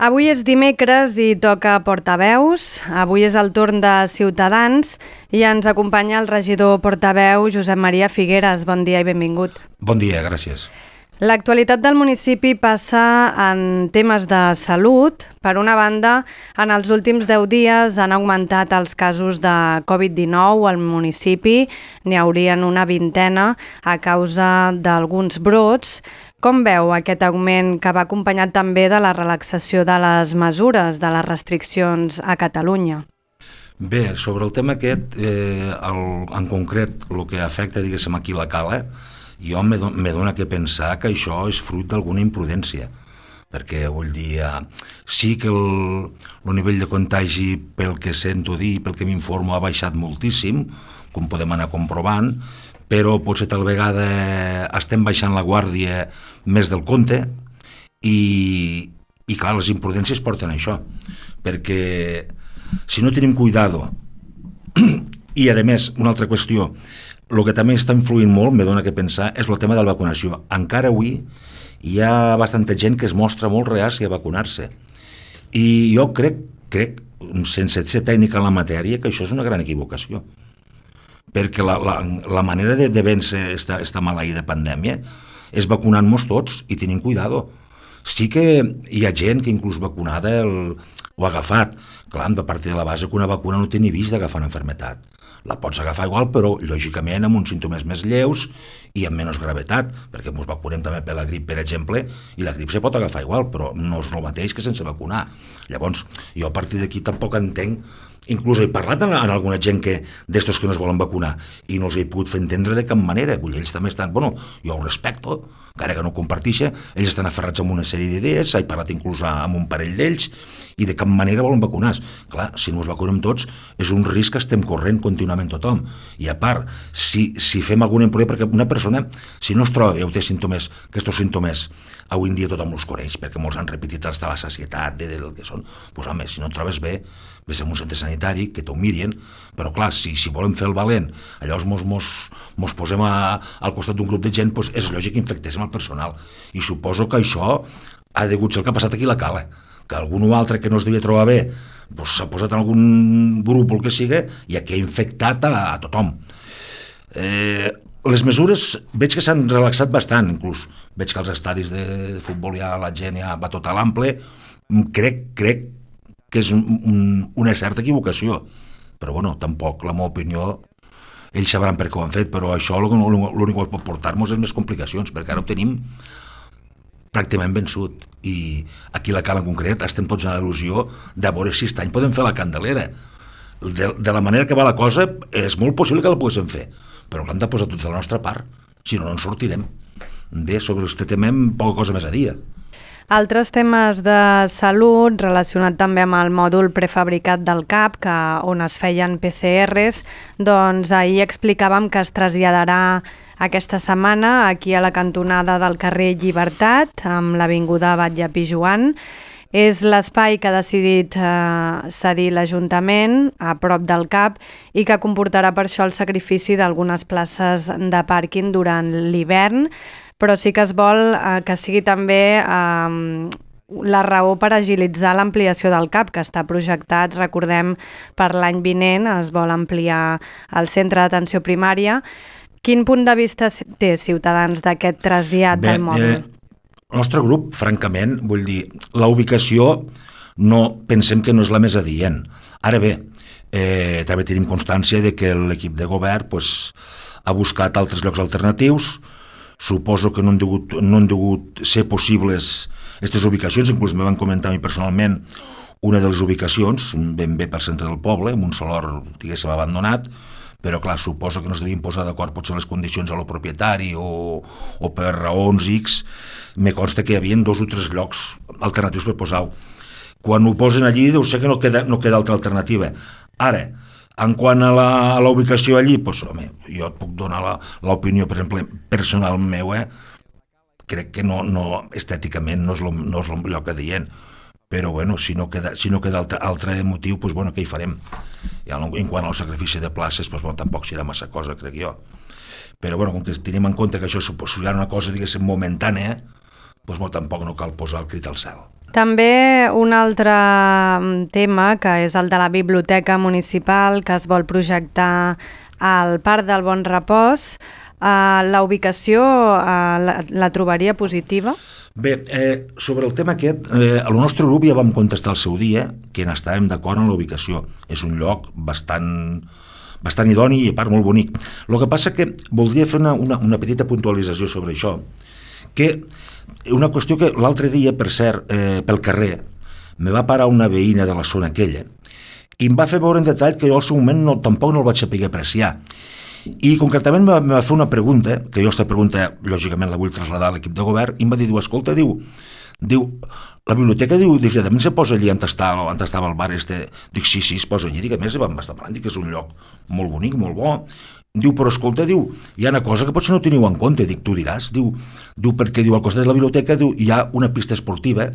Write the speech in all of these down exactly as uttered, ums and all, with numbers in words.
Avui és dimecres i toca portaveus. Avui és el torn de Ciutadans i ens acompanya el regidor portaveu Josep Maria Figueres. Bon dia i benvingut. Bon dia, gràcies. L'actualitat del municipi passa en temes de salut. Per una banda, en els últims deu dies han augmentat els casos de covid dinou al municipi. N'hi haurien una vintena a causa d'alguns brots. Com veu aquest augment que va acompanyat també de la relaxació de les mesures, de les restriccions a Catalunya? Bé, sobre el tema aquest, eh, el, en concret, el que afecta, diguéssim, aquí la Cala, jo me, do, me dona que pensar que això és fruit d'alguna imprudència, perquè, vull dir, eh, sí que el, el nivell de contagi, pel que sento dir, pel que m'informo, ha baixat moltíssim, com podem anar comprovant, però potser tal vegada estem baixant la guàrdia més del compte i, i clar, les imprudències porten a això, perquè si no tenim cuidado i a més una altra qüestió, el que també està influint molt, me dona que pensar, és el tema de la vacunació. Encara avui hi ha bastanta gent que es mostra molt reàcia a vacunar-se i jo crec, crec, sense ser tècnica en la matèria, que això és una gran equivocació, perquè la, la, la manera de, de vèncer esta, esta maleïda pandèmia és vacunant-nos tots i tenint cuidado. Sí que hi ha gent que inclús vacunada el, ho ha agafat. Clar, hem de partir de la base que una vacuna no té ni vist d'agafar una malaltia. La pots agafar igual, però lògicament amb uns símptomes més lleus i amb menys gravetat, perquè ens vacunem també per la grip, per exemple, i la grip se pot agafar igual, però no és el mateix que sense vacunar. Llavors, jo a partir d'aquí tampoc entenc, inclús he parlat amb, amb alguna gent que d'estos que no es volen vacunar i no els he pogut fer entendre de cap manera. Vull dir, ells també estan, bueno, jo ho respecto, encara que no ho comparteixi, ells estan aferrats amb una sèrie d'idees, he parlat inclús amb un parell d'ells, i de cap manera volen vacunar. Clar, si no els vacunem tots, és un risc que estem corrent contínuament tothom. I a part, si, si fem alguna imprudència, perquè una persona, si no es troba bé o té símptomes, que aquests símptomes avui en dia tothom els coneix, perquè molts han repetit fins a la sacietat de, del que són, doncs home, si no et trobes bé, ves a un centre sanitari, que t'ho mirin, però clar, si, si volem fer el valent, llavors mos, mos, mos posem a, al costat d'un grup de gent, doncs és lògic que infectéssim el personal. I suposo que això ha degut ser el que ha passat aquí a la Cala, que algun o altre que no es devia trobar bé doncs s'ha posat en algun grup o el que sigui i aquí ha infectat a, a tothom. Eh, les mesures veig que s'han relaxat bastant, inclús veig que als estadis de, de futbol ja la gent ja va tot a l'ample. Crec, crec que és un, un, una certa equivocació, però bueno, tampoc la meva opinió, ells sabran per què ho han fet, però això l'únic que pot portar-nos és més complicacions, perquè ara ho tenim pràcticament vençut i aquí a la Cala en concret estem tots en l'il·lusió de veure si aquest any podem fer la Candelera. De, de la manera que va la cosa és molt possible que la poguéssim fer, però l'hem de posar tots de la nostra part, si no, no en sortirem. Bé, sobre aquest tema poca cosa més a dir. Altres temes de salut relacionat també amb el mòdul prefabricat del C A P, que, on es feien P C Rs, doncs ahir explicàvem que es traslladarà aquesta setmana aquí a la cantonada del carrer Llibertat, amb l'avinguda Batlle Pijoan. És l'espai que ha decidit eh, cedir l'Ajuntament a prop del C A P i que comportarà per això el sacrifici d'algunes places de pàrquing durant l'hivern, però sí que es vol eh, que sigui també eh, la raó per agilitzar l'ampliació del C A P, que està projectat, recordem, per l'any vinent, es vol ampliar el centre d'atenció primària. Quin punt de vista té Ciutadans d'aquest trasllat del mòdul? Eh, el nostre grup, francament, vull dir, la ubicació no pensem que no és la més adient. Ara bé, eh, també tenim constància de que l'equip de govern pues, ha buscat altres llocs alternatius. Suposo que no han degut, no han degut ser possibles aquestes ubicacions, inclús me van comentar a mi personalment una de les ubicacions, ben bé pel centre del poble, amb un solor, diguéssim, abandonat, però clar, suposo que no es devien posar d'acord potser les condicions a lo propietari o, o per raons X. Me consta que hi havia dos o tres llocs alternatius per posar-ho. Quan ho posen allí deu ser que no queda, no queda altra alternativa. Ara, en quant a la, a la ubicació allí, doncs, home, jo et puc donar l'opinió, per exemple, personal meu, eh? Crec que no, no, estèticament no és, lo, no és el lloc adient. Però bueno, si no queda, si no queda altre, altre motiu, doncs bueno, què hi farem? I en quant al sacrifici de places, doncs bueno, tampoc serà massa cosa, crec jo. Però bueno, com que tenim en compte que això suposarà una cosa, diguéssim, momentània, doncs bueno, tampoc no cal posar el crit al cel. També un altre tema, que és el de la biblioteca municipal, que es vol projectar al Parc del Bon Repòs. Uh, la ubicació uh, la, la trobaria positiva? Bé, eh, sobre el tema aquest, eh, el nostre grup ja vam contestar el seu dia que n'estàvem d'acord amb la ubicació. És un lloc bastant, bastant idoni i a part molt bonic. El que passa que voldria fer una, una, una petita puntualització sobre això, que una qüestió que l'altre dia, per cert, eh, pel carrer, me va parar una veïna de la zona aquella i em va fer veure en detall que jo al seu moment no, tampoc no el vaig saber apreciar. I concretament me va, me va fer una pregunta, que jo aquesta pregunta lògicament la vull traslladar a l'equip de govern, i em va dir, diu, escolta, diu, diu la biblioteca, diu, definitivament se posa allí on estava, on estava el bar este? Dic, sí, sí, es posa allí, dic, a més vam estar parlant, dic que és un lloc molt bonic, molt bo. Diu, però escolta, diu, hi ha una cosa que potser no teniu en compte, dic, tu diràs, diu, diu perquè diu, al costat de la biblioteca diu, hi ha una pista esportiva,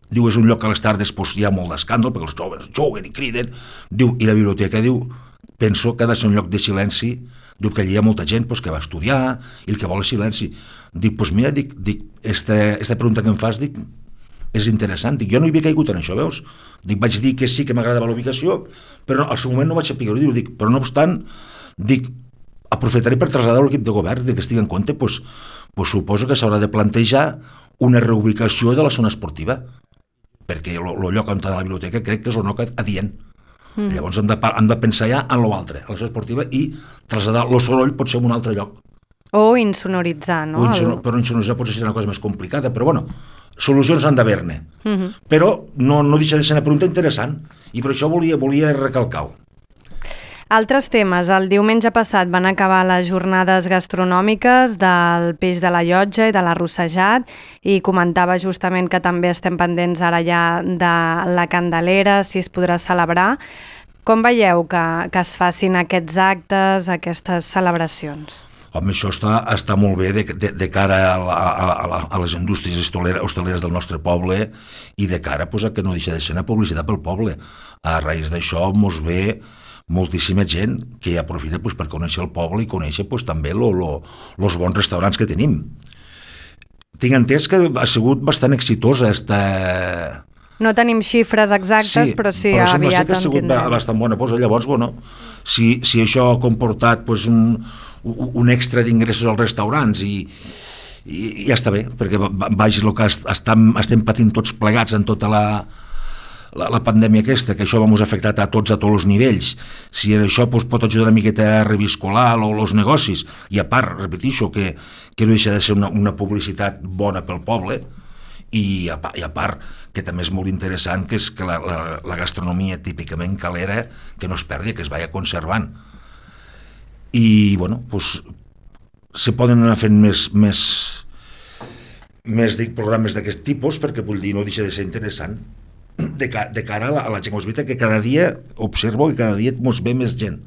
diu, és un lloc que a les tardes pues, hi ha molt d'escàndol, perquè els joves juguen i criden, diu, i la biblioteca, diu, penso que ha de ser un lloc de silenci, diu que allí hi ha molta gent pues, que va estudiar i el que vol és silenci. Dic, doncs pues mira, dic, dic esta, esta pregunta que em fas, dic, és interessant, dic, jo no hi havia caigut en això, veus? Dic, vaig dir que sí que m'agradava la ubicació, però al seu moment no vaig saber, diu, dic, però no obstant, dic, aprofitaré per traslladar a l'equip de govern de que estigui en compte, pues, pues suposo que s'haurà de plantejar una reubicació de la zona esportiva, perquè el lloc on està la biblioteca crec que és el lloc adient. Mm. Llavors hem de, hem de pensar ja en l'altre, a la zona esportiva, i traslladar el soroll pot ser en un altre lloc. O insonoritzar, no? O insonor, però insonoritzar potser serà una cosa més complicada, però bueno, solucions han d'haver-ne. Mm-hmm. Però no, no deixa de ser una pregunta interessant, i per això volia, volia recalcar-ho. Altres temes. El diumenge passat van acabar les jornades gastronòmiques del peix de la llotja i de l'arrossejat, i comentava justament que també estem pendents ara ja de la Candelera, si es podrà celebrar. Com veieu que, que es facin aquests actes, aquestes celebracions? Home, això està, està molt bé de, de, de cara a, la, a, la, a les indústries hostaleres del nostre poble i de cara pues, a que no deixa de ser una publicitat pel poble. A raïs d'això mos ve moltíssima gent que aprofita pues, per conèixer el poble i conèixer pues, també els bons restaurants que tenim. Tinc entès que ha sigut bastant exitosa esta... No tenim xifres exactes, sí, però sí, però aviat que ha sigut tindrem. Bastant bona. Pues, llavors, bueno, si, si això ha comportat pues, un, un extra d'ingressos als restaurants i, i, i ja està bé, perquè vagi el que estem, estem patint tots plegats en tota la... La, la pandèmia aquesta, que això va ens afectat a tots a tots els nivells, si això pues, pot ajudar una miqueta a reviscolar els negocis, i a part, repeteixo, que, que no deixa de ser una, una publicitat bona pel poble, i a, i a part que també és molt interessant que és que la, la, la gastronomia típicament calera que no es perdi, que es vaya conservant. I bueno, pues, se poden anar fent més més, més dic, programes d'aquest tipus, perquè vull dir, no deixa de ser interessant de, ca, de cara a la, a la gent. És veritat que cada dia observo que cada dia mos ve més gent.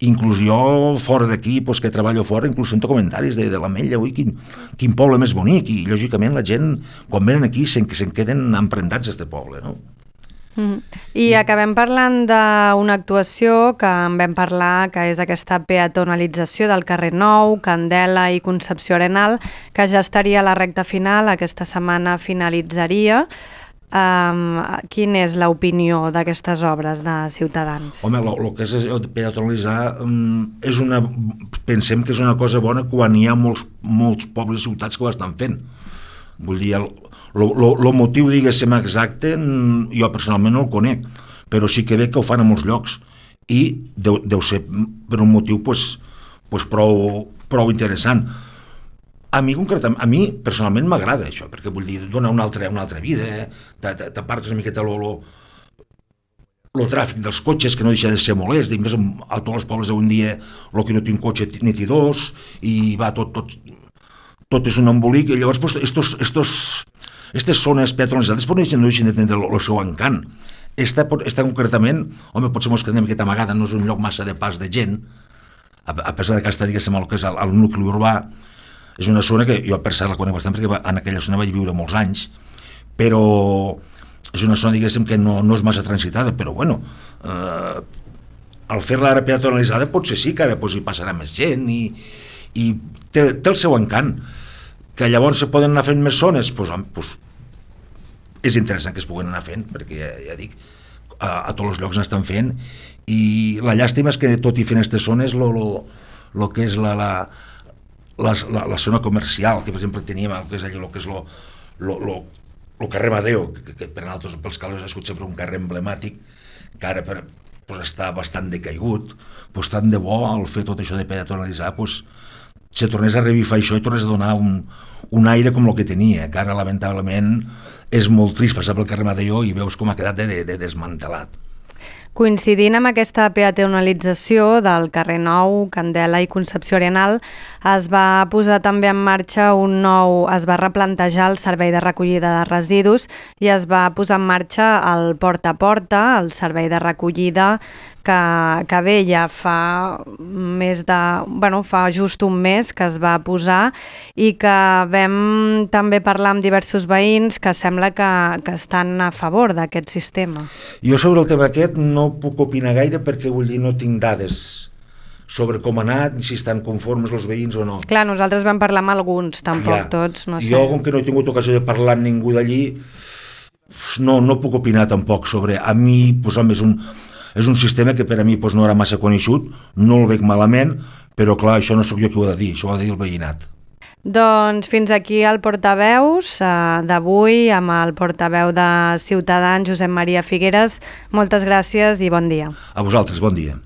Inclús jo fora d'aquí, pues, que treballo fora, inclús sento comentaris de, de l'Ametlla, ui, quin, quin poble més bonic, i lògicament la gent quan venen aquí se'n, se'n queden empremtats a este poble, no? Mm. I acabem parlant d'una actuació que en vam parlar, que és aquesta peatonalització del carrer Nou, Candela i Concepció Arenal, que ja estaria a la recta final, aquesta setmana finalitzaria. Um, quina és l'opinió d'aquestes obres de Ciutadans? Home, el que és peatonalitzar um, és una, pensem que és una cosa bona quan hi ha molts, molts pobles i ciutats que ho estan fent. Vull dir, el, el motiu, diguéssim, exacte, jo personalment no el conec, però sí que veig que ho fan a molts llocs i deu, deu ser per un motiu pues, pues prou, prou interessant. A mi, concretament, a mi personalment m'agrada això, perquè vull dir, dona una altra, una altra vida, t'apartes una miqueta el tràfic dels cotxes, que no deixa de ser molest, i més a tots els pobles d'avui dia el que no té un cotxe ni té dos, i va tot, tot, tot és un embolic, i llavors pues, estos, estos, estes zones peatonalitzades no deixen, no deixen de tenir el seu encant. Esta, esta concretament, home, potser mos quedem una miqueta amagada, no és un lloc massa de pas de gent, a, a pesar que està, diguéssim, el que és el, el nucli urbà. És una zona que jo per cert la conec bastant perquè en aquella zona vaig viure molts anys, però és una zona, diguéssim, que no, no és massa transitada, però bueno, eh, al fer-la ara peatonalitzada potser sí que ara pues, hi passarà més gent i, i té, té el seu encant. Que llavors se poden anar fent més zones, pues, pues, és interessant que es puguen anar fent, perquè ja, ja dic, a, a tots els llocs n'estan fent, i la llàstima és que tot i fent aquestes zones, lo, lo, lo que és la, la, la, la, la zona comercial, que per exemple teníem el que és allò, lo que és lo, lo, lo, lo carrer Madeo, que, que per nosaltres, pels calés, ha sigut sempre un carrer emblemàtic, que ara per, pues, està bastant decaigut, pues, tant de bo el fer tot això de peatonalitzar, pues, se tornés a revifar això i tornés a donar un, un aire com el que tenia, que ara lamentablement és molt trist passar pel carrer Madeo i veus com ha quedat de, de, de desmantelat. Coincidint amb aquesta peatonalització del carrer Nou, Candela i Concepció Arenal, es va posar també en marxa un nou, es va replantejar el servei de recollida de residus i es va posar en marxa el Porta a Porta, el servei de recollida que, que bé, ja fa més de, bueno, fa just un mes que es va posar i que vam també parlar amb diversos veïns que sembla que, que estan a favor d'aquest sistema. Jo sobre el tema aquest no puc opinar gaire perquè vull dir no tinc dades sobre com ha anat, si estan conformes els veïns o no. Clar, nosaltres vam parlar amb alguns, tampoc ja. tots, no sé. Jo, com que no he tingut ocasió de parlar amb ningú d'allí, no, no puc opinar tampoc sobre... A mi, pues, home, és un, és un sistema que per a mi pues, no era massa coneixut, no el veig malament, però clar, això no sóc jo qui ho ha de dir, això ho ha de dir el veïnat. Doncs fins aquí el portaveus eh, d'avui amb el portaveu de Ciutadans, Josep Maria Figueres. Moltes gràcies i bon dia. A vosaltres, bon dia.